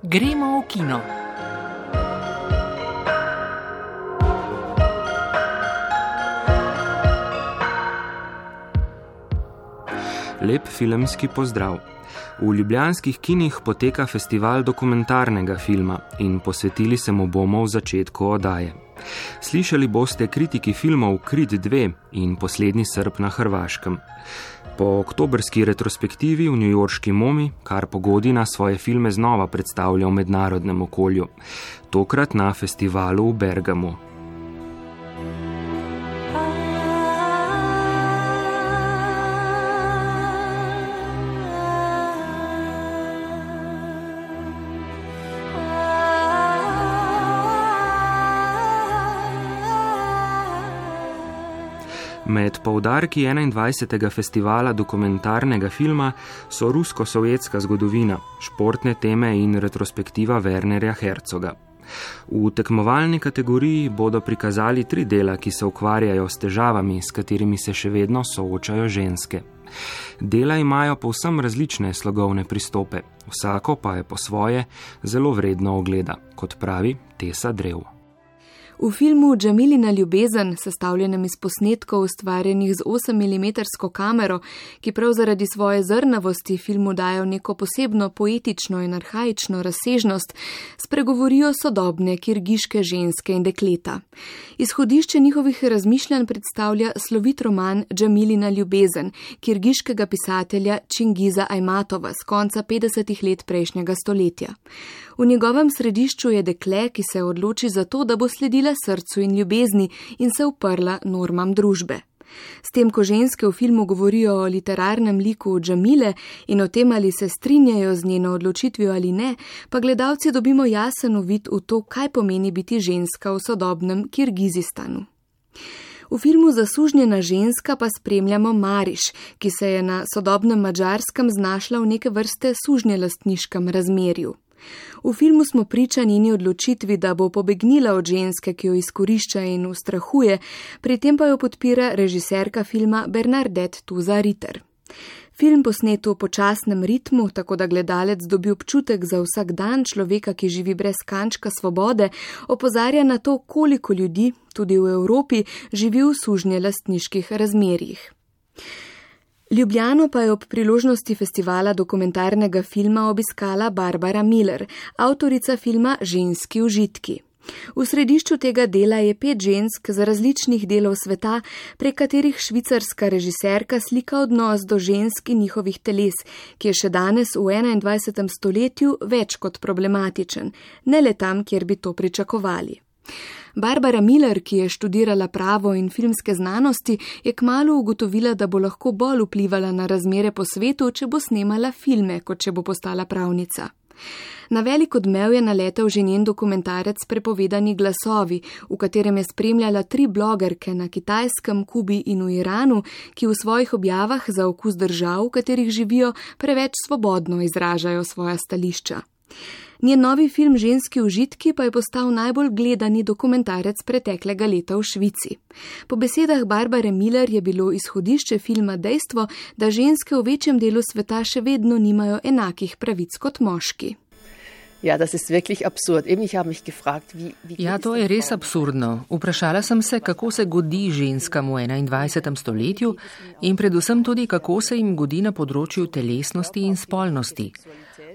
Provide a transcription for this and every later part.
Gremo v kino. Lep filmski pozdrav. V ljubljanskih kinih poteka festival dokumentarnega filma in posvetili se mu bomo v začetku oddaje. Slišali boste kritiki filmov Krit 2 in Poslednji Srb na Hrvaškem. Po oktobrski retrospektivi v newyorški MoMI, Karpo Godina svoje filme znova predstavlja v mednarodnem okolju, tokrat na festivalu v Bergamu. Med poudarki 21. festivala dokumentarnega filma so rusko-sovjetska zgodovina, športne teme in retrospektiva Wernerja Herzoga. V tekmovalni kategoriji bodo prikazali 3 dela, ki se ukvarjajo s težavami, s katerimi se še vedno soočajo ženske. Dela imajo povsem različne slogovne pristope, vsako pa je po svoje zelo vredno ogleda, kot pravi Tesa Drev. V filmu Džamilina ljubezen, sestavljenem iz posnetkov ustvarjenih z 8mm kamero, ki prav zaradi svoje zrnavosti filmu dajo neko posebno poetično in arhaično razsežnost, spregovorijo sodobne kirgiške ženske in dekleta. Izhodišče njihovih razmišljanj predstavlja slovit roman Džamilina ljubezen, kirgiškega pisatelja Čingiza Ajmatova z konca 50. let prejšnjega stoletja. V njegovem središču je dekle, ki se odloči za to, da bo sledila srcu in ljubezni in se uprla normam družbe. S tem, ko ženske v filmu govorijo o literarnem liku Džamile in o tem, ali se strinjajo z njeno odločitvijo ali ne, pa gledalci dobimo jasen uvid v to, kaj pomeni biti ženska v sodobnem Kirgizistanu. V filmu Zasužnjena ženska pa spremljamo Mariš, ki se je na sodobnem Madžarskem znašla v neke vrste sužnjelastniškem razmerju. V filmu smo priča njeni odločitvi, da bo pobegnila od ženske, ki jo izkorišča in ustrahuje, pri tem pa jo podpira režiserka filma Bernadette Tuza-Ritter. Film posnet v počasnem ritmu, tako da gledalec dobi občutek za vsak dan človeka, ki živi brez kančka svobode, opozarja na to, koliko ljudi, tudi v Evropi, živi v sužnjelastniških razmerjih. Ljubljano pa je ob priložnosti festivala dokumentarnega filma obiskala Barbara Miller, avtorica filma Ženski užitki. V središču tega dela je 5 žensk z različnih delov sveta, prek katerih švicarska režiserka slika odnos do žensk in njihovih teles, ki je še danes v 21. stoletju več kot problematičen, ne le tam, kjer bi to pričakovali. Barbara Miller, ki je študirala pravo in filmske znanosti, je kmalu ugotovila, da bo lahko bolj vplivala na razmere po svetu, če bo snemala filme, kot če bo postala pravnica. Na velik odmev je naletel že njen dokumentarec Prepovedani glasovi, v katerem je spremljala 3 blogerke na Kitajskem, Kubi in v Iranu, ki v svojih objavah za okus držav, v katerih živijo, preveč svobodno izražajo svoja stališča. Njen novi film Ženski užitki pa je postal najbolj gledani dokumentarec preteklega leta v Švici. Po besedah Barbare Miller je bilo izhodišče filma dejstvo, da ženske v večjem delu sveta še vedno nimajo enakih pravic kot moški. Ja, das ist wirklich absurd. Eben, ich habe mich gefragt, wie Ja, to je res absurdno. Vprašala sem se, kako se godi ženskam v 21. stoletju in predvsem tudi, kako se jim godi na področju telesnosti in spolnosti.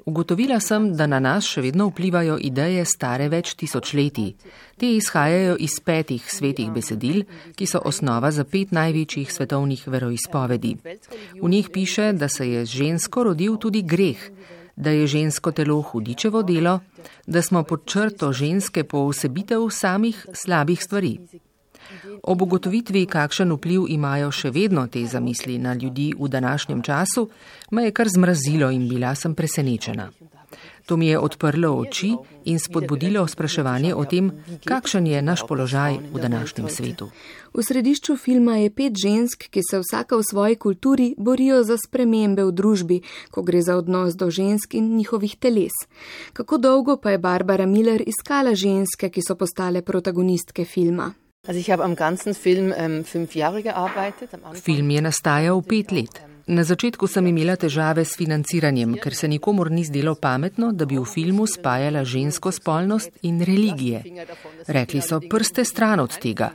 Ugotovila sem, da na nas še vedno vplivajo ideje stare več tisočletij. Te izhajajo iz 5 svetih besedil, ki so osnova za 5 največjih svetovnih veroizpovedi. V njih piše, da se je z žensko rodil tudi greh, da je žensko telo hudičevo delo, da smo pod črto ženske poosebitev samih slabih stvari. Ob ugotovitvi, kakšen vpliv imajo še vedno te zamisli na ljudi v današnjem času, me je kar zmrazilo in bila sem presenečena. To mi je odprlo oči in spodbudilo spraševanje o tem, kakšen je naš položaj v današnjem svetu. V središču filma je 5 žensk, ki se vsaka v svoji kulturi borijo za spremembe v družbi, ko gre za odnos do žensk in njihovih teles. Kako dolgo pa je Barbara Miller iskala ženske, ki so postale protagonistke filma? Also ich habe am ganzen Film 5 Jahre gearbeitet. Film je nastajal 5 let. Na začetku sem imela težave s financiranjem, ker se nikomur ni zdelo pametno, da bi v filmu spajala žensko spolnost in religije. Rekli so, prste stran od tega.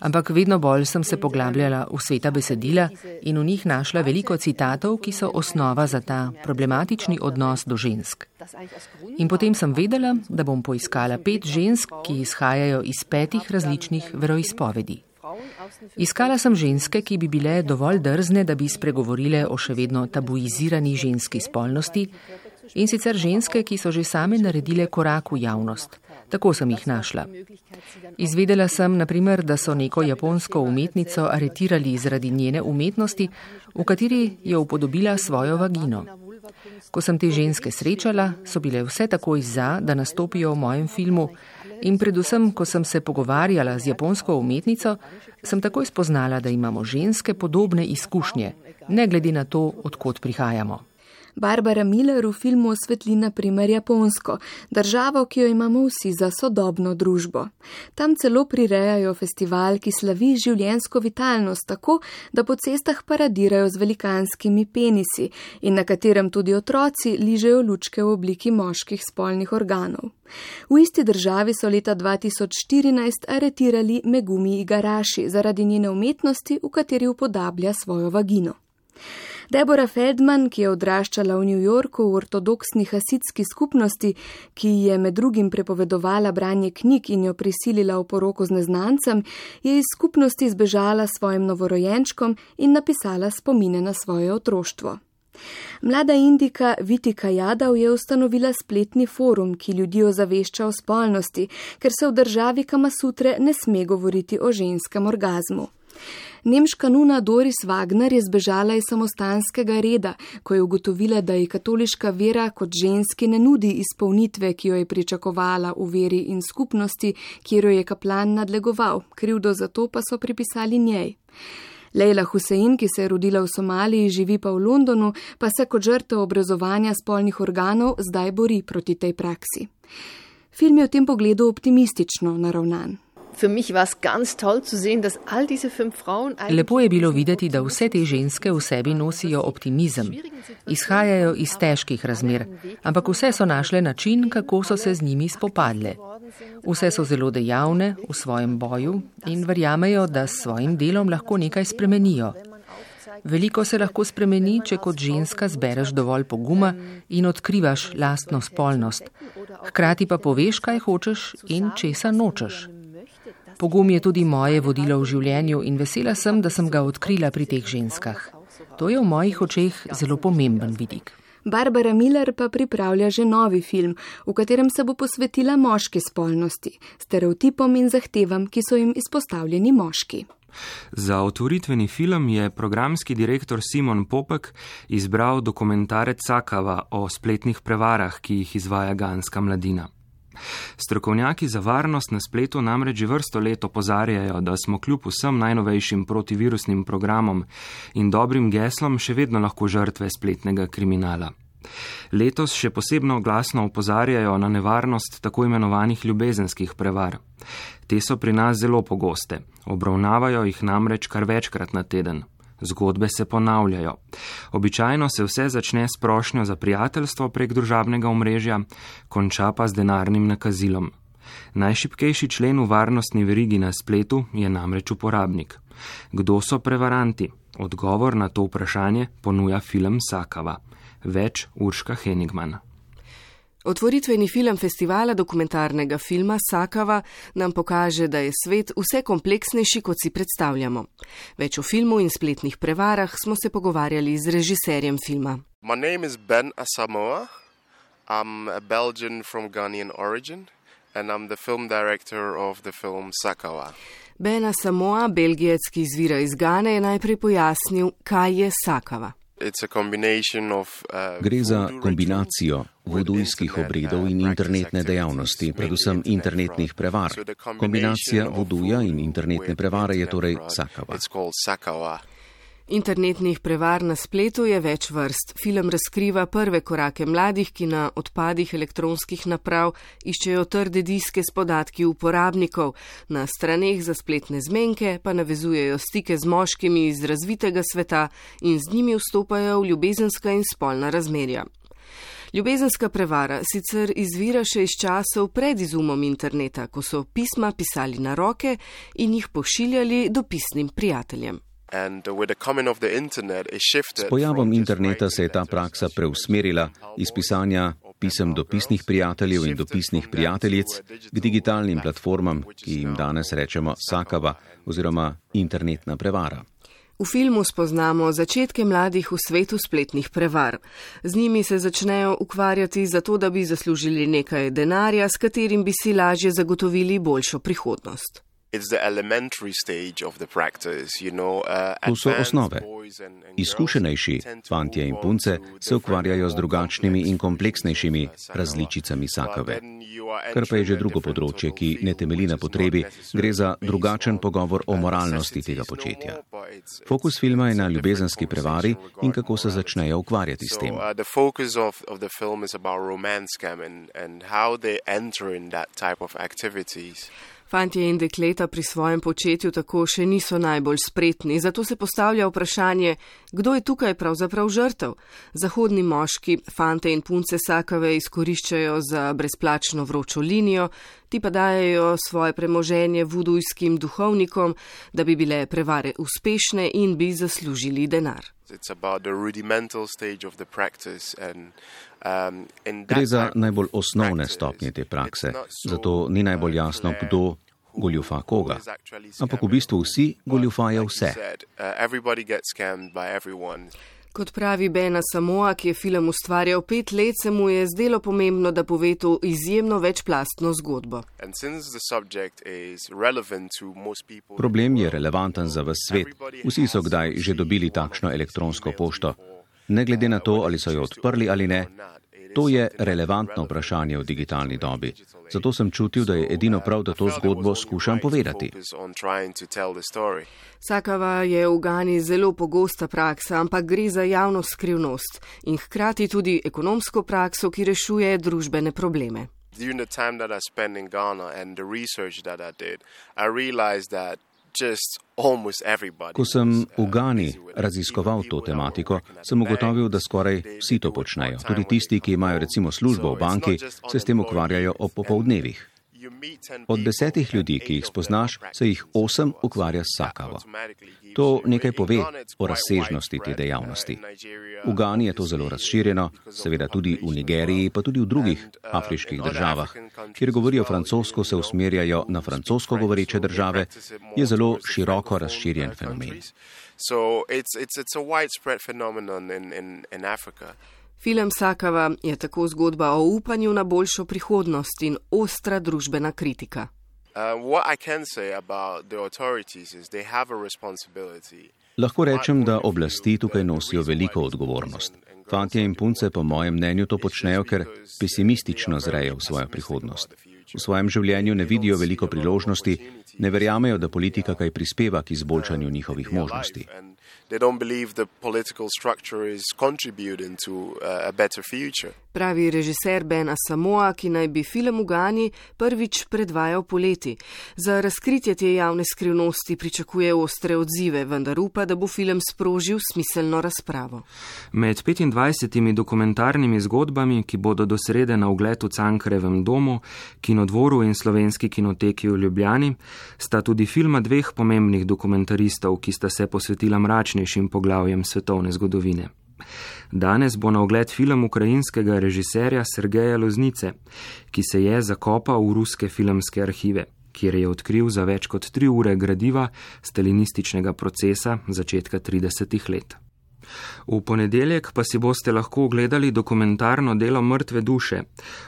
Ampak vedno bolj sem se poglabljala v sveta besedila in v njih našla veliko citatov, ki so osnova za ta problematični odnos do žensk. In potem sem vedela, da bom poiskala 5 žensk, ki izhajajo iz 5 različnih veroizpovedi. Iskala sem ženske, ki bi bile dovolj drzne, da bi spregovorile o še vedno tabuizirani ženski spolnosti, in sicer ženske, ki so že same naredile korak v javnost. Tako sem jih našla. Izvedela sem, na primer, da so neko japonsko umetnico aretirali zaradi njene umetnosti, v kateri je upodobila svojo vagino. Ko sem te ženske srečala, so bile vse takoj za, da nastopijo v mojem filmu, in predvsem, ko sem se pogovarjala z japonsko umetnico, sem takoj spoznala, da imamo ženske podobne izkušnje, ne glede na to, odkot prihajamo. Barbara Miller v filmu osvetli na primer Japonsko, državo, ki jo imamo vsi za sodobno družbo. Tam celo prirejajo festival, ki slavi življenjsko vitalnost tako, da po cestah paradirajo z velikanskimi penisi in na katerem tudi otroci ližejo lučke v obliki moških spolnih organov. V isti državi so leta 2014 aretirali Megumi Igarashi zaradi njene umetnosti, v kateri upodablja svojo vagino. Deborah Feldman, ki je odraščala v New Yorku v ortodoksni hasidski skupnosti, ki je med drugim prepovedovala branje knjig in jo prisilila v poroko z neznancem, je iz skupnosti zbežala svojim novorojenčkom in napisala spomine na svoje otroštvo. Mlada Indika Vitika Jadav je ustanovila spletni forum, ki ljudi ozavešča o spolnosti, ker se v državi Kamasutre ne sme govoriti o ženskem orgazmu. Nemška nuna Doris Wagner je zbežala iz samostanskega reda, ko je ugotovila, da ji katoliška vera kot ženski ne nudi izpolnitve, ki jo je pričakovala v veri in skupnosti, kjer jo je kaplan nadlegoval, krivdo za to pa so pripisali njej. Leila Hussein, ki se je rodila v Somaliji, živi pa v Londonu, pa se kot žrtev obrezovanja spolnih organov zdaj bori proti tej praksi. Film je v tem pogledu optimistično naravnan. Lepo je bilo videti, da vse te ženske v sebi nosijo optimizem. Izhajajo iz težkih razmer, ampak vse so našle način, kako so se z njimi spopadle. Vse so zelo dejavne v svojem boju in verjamejo, da s svojim delom lahko nekaj spremenijo. Veliko se lahko spremeni, če kot ženska zbereš dovolj poguma in odkrivaš lastno spolnost. Hkrati pa poveš, kaj hočeš in česa nočeš. Pogum je tudi moje vodilo v življenju in vesela sem, da sem ga odkrila pri teh ženskah. To je v mojih očeh zelo pomemben vidik. Barbara Miller pa pripravlja že novi film, v katerem se bo posvetila moški spolnosti, stereotipom in zahtevam, ki so jim izpostavljeni moški. Za otvoritveni film je programski direktor Simon Popek izbral dokumentarec Sakava o spletnih prevarah, ki jih izvaja ganska mladina. Strokovnjaki za varnost na spletu namreč že vrsto let opozarjajo, da smo kljub vsem najnovejšim protivirusnim programom in dobrim geslom še vedno lahko žrtve spletnega kriminala. Letos še posebno glasno opozarjajo na nevarnost tako imenovanih ljubezenskih prevar. Te so pri nas zelo pogoste, obravnavajo jih namreč kar večkrat na teden. Zgodbe se ponavljajo. Običajno se vse začne s prošnjo za prijateljstvo prek družabnega omrežja, konča pa z denarnim nakazilom. Najšibkejši člen v varnostni verigi na spletu je namreč uporabnik. Kdo so prevaranti? Odgovor na to vprašanje ponuja film Sakava. Več Urška Henigman. Otvoritveni film festivala dokumentarnega filma Sakava nam pokaže, da je svet vse kompleksnejši, kot si predstavljamo. Več o filmu in spletnih prevarah smo se pogovarjali z režiserjem filma. My name is Ben Asamoah. I'm a Belgian from Ghanaian origin and I'm the film director of the film Sakava. Ben Asamoah, Belgijec, ki izvira iz Gane, je najprej pojasnil, kaj je Sakava. Gre za kombinacijo vodujskih obredov in internetne dejavnosti, predvsem internetnih prevar. Kombinacija voduja in internetne prevare je torej Sakava. Internetnih prevar na spletu je več vrst. Film razkriva prve korake mladih, ki na odpadih elektronskih naprav iščejo trde diske s podatki uporabnikov, na straneh za spletne zmenke pa navezujejo stike z moškimi iz razvitega sveta in z njimi vstopajo v ljubezenska in spolna razmerja. Ljubezenska prevara sicer izvira še iz časov pred izumom interneta, ko so pisma pisali na roke in jih pošiljali dopisnim prijateljem. S pojavom interneta se je ta praksa preusmerila iz pisanja pisem dopisnih prijateljev in dopisnih prijateljic k digitalnim platformam, ki jim danes rečemo sakava oziroma internetna prevara. V filmu spoznamo začetke mladih v svetu spletnih prevar. Z njimi se začnejo ukvarjati zato, da bi zaslužili nekaj denarja, s katerim bi si lažje zagotovili boljšo prihodnost. To so osnove. Izkušenejši fantje in punce se ukvarjajo z drugačnimi in kompleksnejšimi različicami sakave. Kar pa je že drugo področje, ki ne temelji na potrebi, gre za drugačen pogovor o moralnosti tega početja. Fokus filma je na ljubezenski prevari in kako se začnejo ukvarjati s tem. Fantje in dekleta pri svojem početju tako še niso najbolj spretni, zato se postavlja vprašanje, kdo je tukaj pravzaprav žrtev. Zahodni moški fante in punce sakave izkoriščajo za brezplačno vročo linijo, ti pa dajejo svoje premoženje vudujskim duhovnikom, da bi bile prevare uspešne in bi zaslužili denar. Gre za najbolj osnovne stopnje te prakse, zato ni najbolj jasno, kdo goljufa koga. Ampak v bistvu vsi goljufajo vse. Kot pravi Ben Asamoah, ki je film ustvarjal 5 let, se mu je zdelo pomembno, da pove to izjemno večplastno zgodbo. Problem je relevanten za ves svet. Vsi so kdaj že dobili takšno elektronsko pošto. Ne glede na to, ali so jo odprli ali ne, to je relevantno vprašanje v digitalni dobi. Zato sem čutil, da je edino prav, da to zgodbo skušam povedati. Sakava je v Gani zelo pogosta praksa, ampak gre za javno skrivnost in hkrati tudi ekonomsko prakso, ki rešuje družbene probleme. Ko sem v Gani raziskoval to tematiko, sem ugotovil, da skoraj vsi to počnejo. Tudi tisti, ki imajo recimo službo v banki, se s tem ukvarjajo ob popoldnevih. Od 10 ljudi, ki jih spoznaš, se jih 8 ukvarja s sakavo. To nekaj pove o razsežnosti te dejavnosti. V Gani je to zelo razširjeno, seveda tudi v Nigeriji, pa tudi v drugih afriških državah. Kjer govorijo francosko, se usmerjajo na francosko govoreče države, je zelo široko razširjen fenomen. Film Sakava je tako zgodba o upanju na boljšo prihodnost in ostra družbena kritika. Lahko rečem, da oblasti tukaj nosijo veliko odgovornost. Fantje in punce po mojem mnenju to počnejo, ker pesimistično zrejo v svojo prihodnost. V svojem življenju ne vidijo veliko priložnosti, ne verjamejo, da politika kaj prispeva k izboljšanju njihovih možnosti. Pravi režiser Ben Asamoah, ki naj bi film v Gani prvič predvajal poleti. Za razkritje te javne skrivnosti pričakuje ostre odzive, vendar upa, da bo film sprožil smiselno razpravo. Med 25 dokumentarnimi zgodbami, ki bodo do srede na ogled v Cankarjevem domu, Kinodvoru in Slovenski kinoteki v Ljubljani, sta tudi filma 2 pomembnih dokumentaristov, ki sta se posvetila mračnejšim poglavjem svetovne zgodovine. Danes bo na ogled film ukrajinskega režiserja Sergeja Loznice, ki se je zakopal v ruske filmske arhive, kjer je odkril za več kot 3 ure gradiva stalinističnega procesa začetka 30 let. V ponedeljek pa si boste lahko ogledali dokumentarno delo Mrtve duše,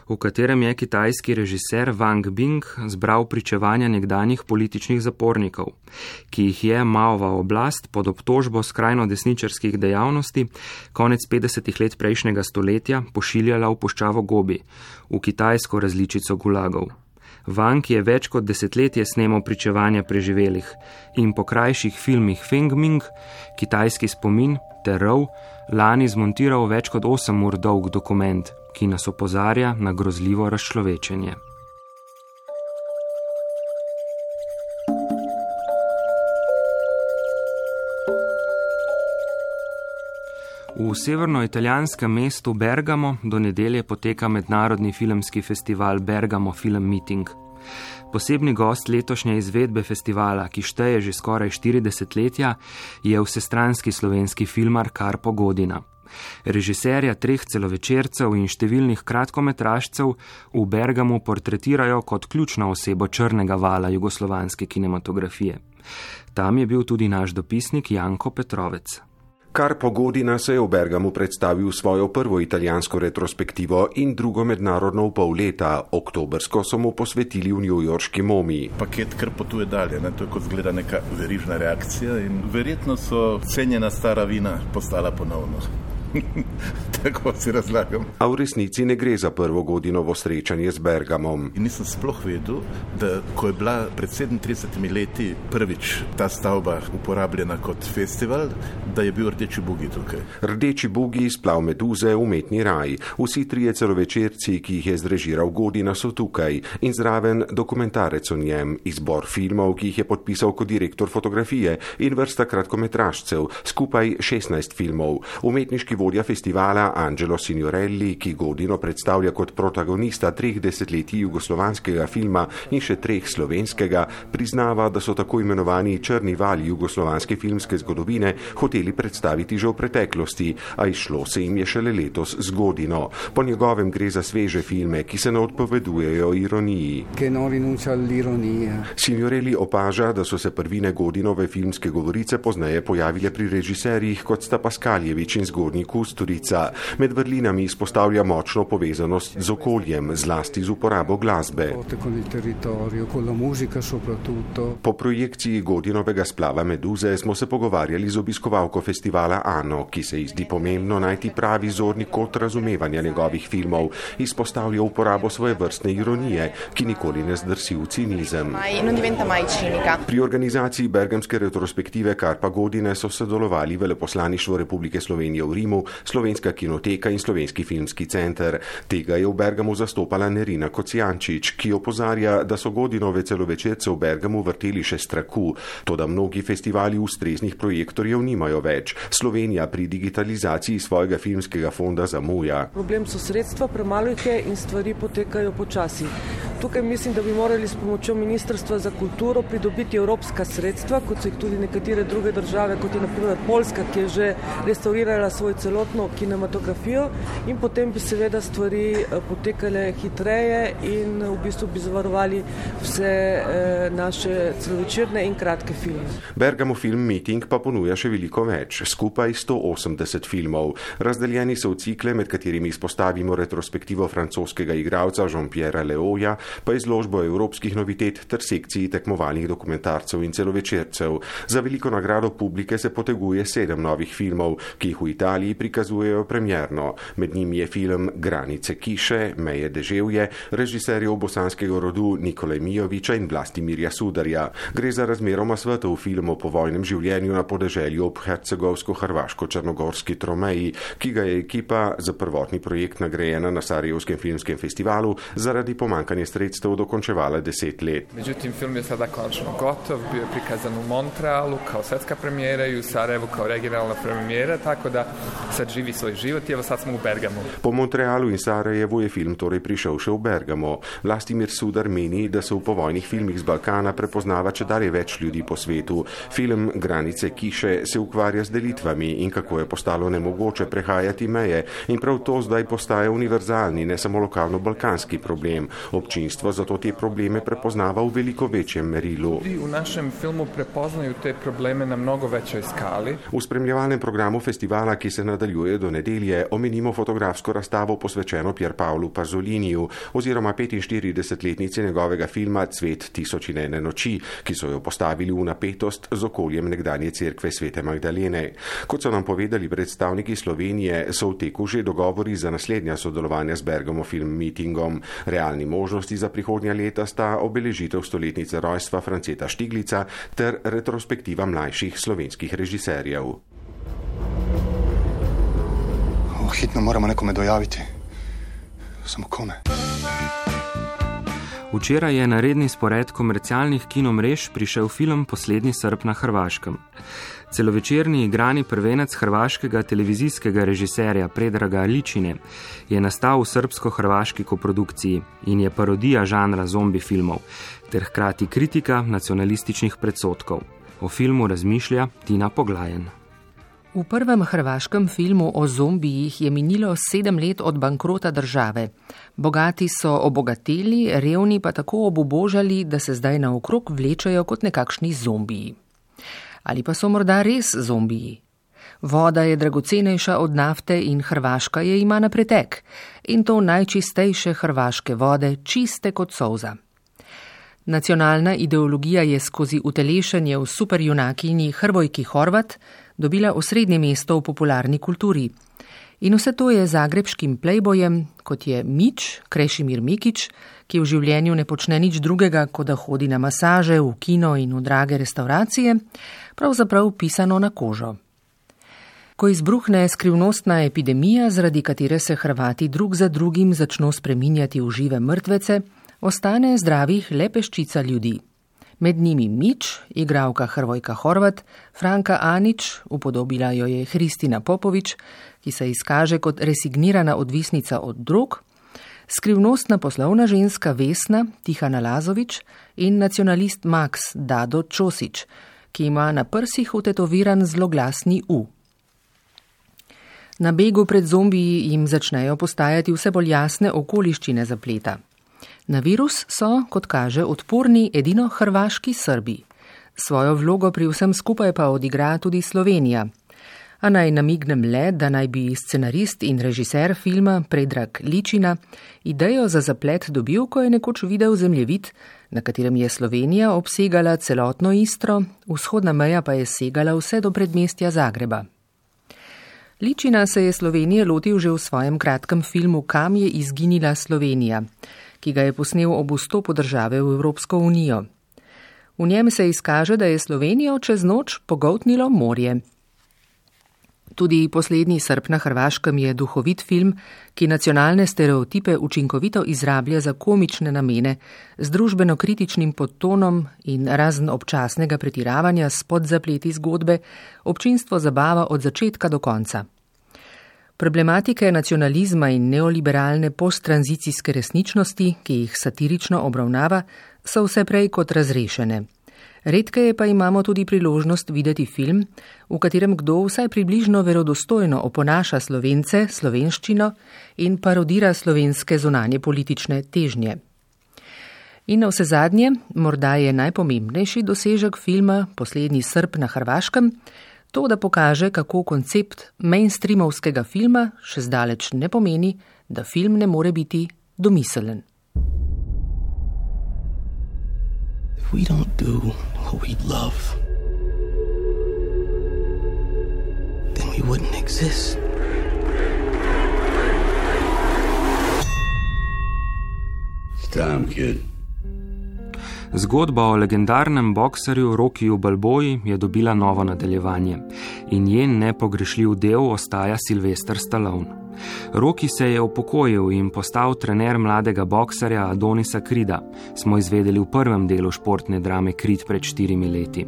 v katerem je kitajski režiser Wang Bing zbral pričevanja nekdanjih političnih zapornikov, ki jih je Maova oblast pod obtožbo skrajno desničarskih dejavnosti konec 50 let prejšnjega stoletja pošiljala v puščavo Gobi, v kitajsko različico gulagov. Vank je več kot desetletje snemal pričevanja preživelih in po krajših filmih Fengming, Kitajski spomin ter Rov lani zmontiral več kot 8 ur dolg dokument, ki nas opozarja na grozljivo razčlovečenje. V severnoitalijanskem mestu Bergamo do nedelje poteka mednarodni filmski festival Bergamo Film Meeting. Posebni gost letošnje izvedbe festivala, ki šteje že skoraj 40 letja, je vsestranski slovenski filmar Karpo Godina. Režiserja 3 celovečercev in številnih kratkometražcev v Bergamu portretirajo kot ključno osebo črnega vala jugoslovanske kinematografije. Tam je bil tudi naš dopisnik Janko Petrovec. Karpo Godina se je v Bergamu predstavil svojo prvo italijansko retrospektivo in drugo mednarodno v pol leta. Oktobrsko so mu posvetili v newyorški Momi. Paket kar potuje dalje, to je kot zgleda neka verižna reakcija in verjetno so cenjena stara vina postala ponovno. Tako si razlagam. A v resnici ne gre za prvo Godinovo srečanje z Bergamom. In nisem sploh vedel, da ko je bila pred 37 leti prvič ta stavba uporabljena kot festival, da je bil Rdeči bugi tukaj. Rdeči bugi, Splav meduze, Umetni raj. Vsi 3 celovečerci, ki jih je zrežiral Godina, so tukaj in zraven dokumentarec o njem, izbor filmov, ki jih je podpisal kot direktor fotografije in vrsta kratkometražcev, skupaj 16 filmov. Umetniški vodja festivala Angelo Signorelli, ki Godino predstavlja kot protagonista 3 desetletij jugoslovanskega filma in še 3 slovenskega, priznava, da so tako imenovani črni vali jugoslovanske filmske zgodovine hoteli predstaviti že v preteklosti, a izšlo se jim je šele letos z Godino. Po njegovem gre za sveže filme, ki se ne odpovedujejo ironiji. Signorelli opaža, da so se prvine Godinove filmske govorice pozneje pojavile pri režiserjih, kot sta Paskaljevič in Zgornji Kusturica. Med vrlinami izpostavlja močno povezanost z okoljem, zlasti z uporabo glasbe. Po projekciji Godinovega Splava meduze smo se pogovarjali z obiskovalko festivala Ano, ki se ji zdi pomembno najti pravi zorni kot razumevanja njegovih filmov. Izpostavlja uporabo svoje vrstne ironije, ki nikoli ne zdrsi v cinizem. Pri organizaciji bergamske retrospektive Karpa Godine so sodelovali Veleposlaništvo Republike Slovenije v Rimu, Slovenska kinoteka in Slovenski filmski center. Tega je v Bergamu zastopala Nerina Kocijančič, ki opozarja, da so Godinove celovečerce v Bergamu vrteli še straku, toda mnogi festivali ustreznih projektorjev nimajo več. Slovenija pri digitalizaciji svojega filmskega fonda zamuja. Problem so sredstva, premalo jih je in stvari potekajo počasi. Tukaj mislim, da bi morali s pomočjo Ministrstva za kulturo pridobiti evropska sredstva, kot so jih tudi nekatere druge države, kot je na primer Poljska, ki je že restaurirala svoj celotno kinematografijo in potem bi seveda stvari potekale hitreje in v bistvu bi zavarovali vse naše celovečerne in kratke filme. Bergamo Film Meeting pa ponuja še veliko več, skupaj 180 filmov. Razdeljeni so v cikle, med katerimi izpostavimo retrospektivo francoskega igralca Jean-Pierre Leoja, pa izložbo evropskih novitet ter sekciji tekmovalnih dokumentarcev in celovečercev. Za veliko nagrado publike se poteguje 7 novih filmov, ki jih v Italiji prikazujejo premierno. Med njimi je film Granice kiše, Meje deževje, režiserjev bosanskega rodu Nikolaj Mijoviča in Vlastimirja Sudarja. Gre za razmeroma svetov film o povojnem življenju na podeželju ob hercegovsko-hrvaško-črnogorski tromeji, ki ga je ekipa za prvotni projekt nagrajena na Sarajevskem filmskem festivalu zaradi pomankanja sredstev dokončevala 10 let. Međutim, film je sada konačno gotov, bio je prikazan u Montrealu kao svetska premijera i u Sarajevu kao regionalna premijera, tako da sad živi svoj život i evo sad smo u Bergamu. Po Montrealu in Sarajevu je film torej prišel še v Bergamo. Vlastimir Sudar meni, da se v povojnih filmih z Balkana prepoznava čedalje več ljudi po svetu. Film Granice kiše se ukvarja z delitvami in kako je postalo nemogoče prehajati meje in prav to zdaj postaja univerzalni, ne samo lokalno-balkanski problem. Občinstvo zato te probleme prepoznava v veliko večjem merilu. V našem filmu prepoznaju te probleme na mnogo većoj skali. V spremljevalnem programu festivala, ki se nadaljuje do nedelje, omenimo fotografsko razstavo posvečeno Pierpaolu Pasoliniju oziroma 45-letnici njegovega filma Cvet 1001 noči, ki so jo postavili v napetost z okoljem nekdanje cerkve Svete Magdalene. Kot so nam povedali predstavniki Slovenije, so v teku že dogovori za naslednja sodelovanja z Bergamo Film Meetingom. Realni možnosti prednosti za prihodnja leta sta obeležitev stoletnice rojstva Franceta Štiglica ter retrospektiva mlajših slovenskih režiserjev. Hitno moramo nekome dojaviti. Samo kome? Včeraj je na redni spored komercialnih kinomrež prišel film Poslednji Srb na Hrvaškem. Celovečerni igrani prvenec hrvaškega televizijskega režiserja Predraga Ličine je nastal v srbsko-hrvaški koprodukciji in je parodija žanra zombi filmov ter hkrati kritika nacionalističnih predsodkov. O filmu razmišlja Tina Poglajen. V prvem hrvaškem filmu o zombijih je minilo 7 let od bankrota države. Bogati so obogateli, revni pa tako obubožali, da se zdaj naokrog vlečajo kot nekakšni zombiji. Ali pa so morda res zombiji? Voda je dragocenejša od nafte in Hrvaška je ima na pretek. In to najčistejše hrvaške vode, čiste kot solza. Nacionalna ideologija je skozi utelešenje v superjunakinji Hrvojki Horvat dobila osrednje mesto v popularni kulturi. In vse to je zagrebškim playbojem, kot je Mić, Krešimir Mikić, ki v življenju ne počne nič drugega, kot da hodi na masaže, v kino in v drage restauracije, pravzaprav pisano na kožo. Ko izbruhne skrivnostna epidemija, zaradi katere se Hrvati drug za drugim začno spreminjati v žive mrtvece, ostane zdravih le peščica ljudi. Med njimi Mić, igralka Hrvojka Horvat, Franka Anić, upodobila jo je Hristina Popović, ki se izkaže kot resignirana odvisnica od drog, skrivnostna poslovna ženska Vesna Tihana Lazović in nacionalist Max Dado Ćosić, ki ima na prsih vtetoviran zloglasni U. Na begu pred zombiji jim začnejo postajati vse bolj jasne okoliščine zapleta. Na virus so, kot kaže, odporni edino hrvaški Srbi. Svojo vlogo pri vsem skupaj pa odigra tudi Slovenija. A naj namignem le, da naj bi scenarist in režiser filma Predrag Ličina idejo za zaplet dobil, ko je nekoč videl zemljevid, na katerem je Slovenija obsegala celotno Istro, vzhodna meja pa je segala vse do predmestja Zagreba. Ličina se je Slovenije lotil že v svojem kratkem filmu Kam je izginila Slovenija, ki ga je posnel ob vstopu države v Evropsko unijo. V njem se izkaže, da je Slovenijo čez noč pogoltnilo morje. Tudi Poslednji Srb na Hrvaškem je duhovit film, ki nacionalne stereotipe učinkovito izrablja za komične namene, z družbeno-kritičnim podtonom in razen občasnega pretiravanja s podzapleti zgodbe, občinstvo zabava od začetka do konca. Problematike nacionalizma in neoliberalne posttranzicijske resničnosti, ki jih satirično obravnava, so vse prej kot razrešene. Redkeje pa imamo tudi priložnost videti film, v katerem kdo vsaj približno verodostojno oponaša Slovence, slovenščino in parodira slovenske zunanje politične težnje. In na vse zadnje, morda je najpomembnejši dosežek filma Poslednji Srb na Hrvaškem, to, da pokaže, kako koncept mainstreamovskega filma še zdaleč ne pomeni, da film ne more biti domiselen. If we don't do what we love, then we wouldn't exist. It's time, kid. Zgodba o legendarnem bokserju Rockiju Balboji je dobila novo nadaljevanje in njen nepogrešljiv del ostaja Sylvester Stallone. Rocky se je upokojil in postal trener mladega bokserja Adonisa Creeda, smo izvedeli v prvem delu športne drame Creed pred 4 leti.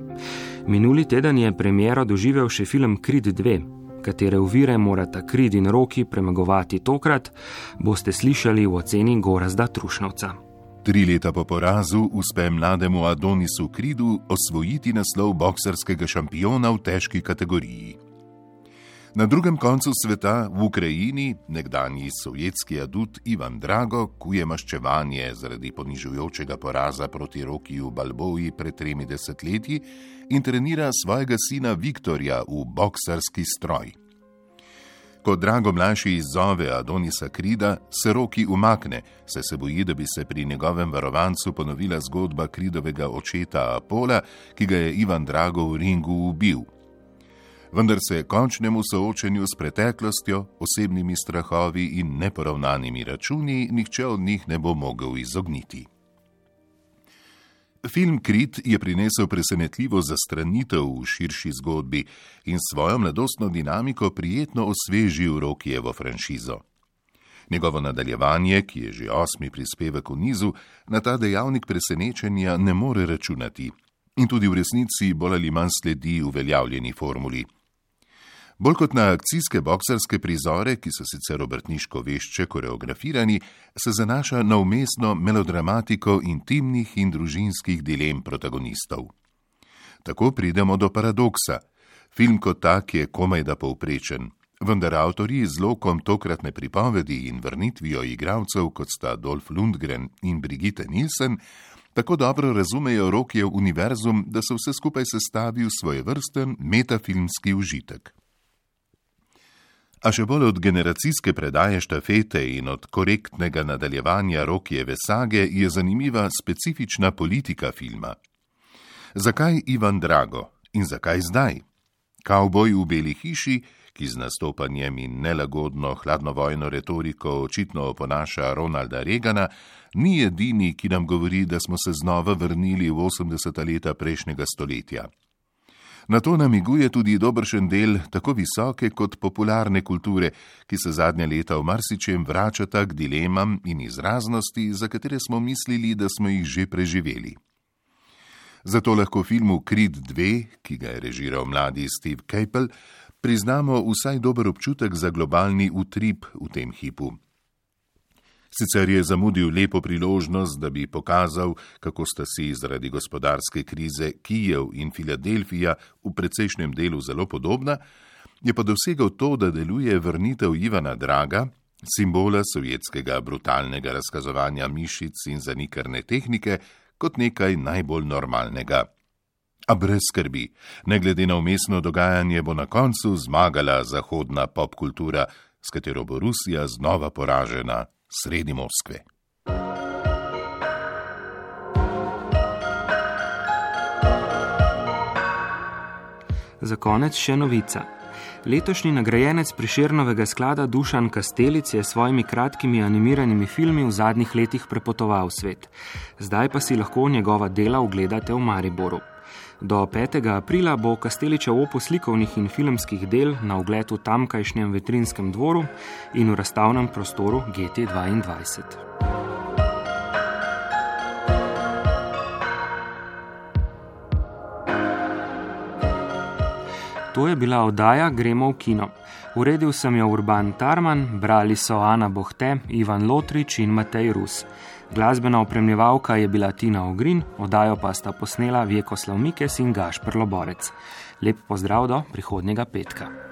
Minuli teden je premiero doživel še film Creed 2, katere ovire morata Creed in Rocky premagovati tokrat, boste slišali v oceni Gorazda Trušnovca. 3 leta po porazu uspe mlademu Adonisu Creedu osvojiti naslov bokserskega šampiona v težki kategoriji. Na drugem koncu sveta, v Ukrajini, nekdanji sovjetski adut Ivan Drago kuje maščevanje zaradi ponižujočega poraza proti Rockiju Balboji pred 3 desetletji in trenira svojega sina Viktorja v boksarski stroj. Ko Drago mlajši izzove Adonisa Creeda, se Rocky umakne, saj se boji, da bi se pri njegovem varovancu ponovila zgodba Creedovega očeta Apola, ki ga je Ivan Drago v ringu ubil. vendar se končnemu soočenju s preteklostjo, osebnimi strahovi in neporavnanimi računi nihče od njih ne bo mogel izogniti. Film Krit je prinesel presenetljivo zastranitev v širši zgodbi in svojo mladostno dinamiko prijetno osvežil Rockyjevo franšizo. Njegovo nadaljevanje, ki je že 8. prispevek v nizu, na ta dejavnik presenečenja ne more računati in tudi v resnici bolj ali manj sledi uveljavljeni formuli. Bolj kot na akcijske boksarske prizore, ki so sicer obrtniško vešče koreografirani, se zanaša na vmesno melodramatiko intimnih in družinskih dilem protagonistov. Tako pridemo do paradoksa. Film kot tak je komajda povprečen, vendar avtorji z lokom tokratne pripovedi in vrnitvijo igralcev, kot sta Dolph Lundgren in Brigitte Nielsen, tako dobro razumejo Rockyjev univerzum, da se vse skupaj sestavi v svojevrsten metafilmski užitek. A še bolj od generacijske predaje štafete in od korektnega nadaljevanja Rockyjeve sage je zanimiva specifična politika filma. Zakaj Ivan Drago in zakaj zdaj? Kavboj v beli hiši, ki z nastopanjem in nelagodno hladnovojno retoriko očitno oponaša Ronalda Reagana, ni edini, ki nam govori, da smo se znova vrnili v 80. leta prejšnjega stoletja. Na to namiguje tudi dobršen del tako visoke kot popularne kulture, ki se zadnja leta v marsičem vračata k dilemam in izraznosti, za katere smo mislili, da smo jih že preživeli. Zato lahko filmu Creed 2, ki ga je režiral mladi Steve Caple, priznamo vsaj dober občutek za globalni utrip v tem hipu. Sicer je zamudil lepo priložnost, da bi pokazal, kako sta si zaradi gospodarske krize Kijev in Filadelfija v precejšnjem delu zelo podobna, je pa dosegal to, da deluje vrnitev Ivana Draga, simbola sovjetskega brutalnega razkazovanja mišic in zanikrne tehnike, kot nekaj najbolj normalnega. A brez skrbi, ne glede na vmesno dogajanje, bo na koncu zmagala zahodna popkultura, s katero bo Rusija znova poražena sredi Moskve. Za konec še novica. Letošnji nagrajenec Prešernovega sklada Dušan Kastelic je s svojimi kratkimi animiranimi filmi v zadnjih letih prepotoval svet. Zdaj pa si lahko njegova dela ogledate v Mariboru. Do 5. aprila bo Kasteličev opus slikovnih in filmskih del na ogled v tamkajšnjem Vetrinskem dvoru in v razstavnem prostoru GT22. To je bila oddaja Gremo v kino. Uredil sem jo Urban Tarman, brali so Ana Bohte, Ivan Lotrič in Matej Rus. Glasbena opremljevalka je bila Tina Ogrin, oddajo pa sta posnela Vjekoslav Mikes in Gašper Loborec. Lep pozdrav do prihodnjega petka.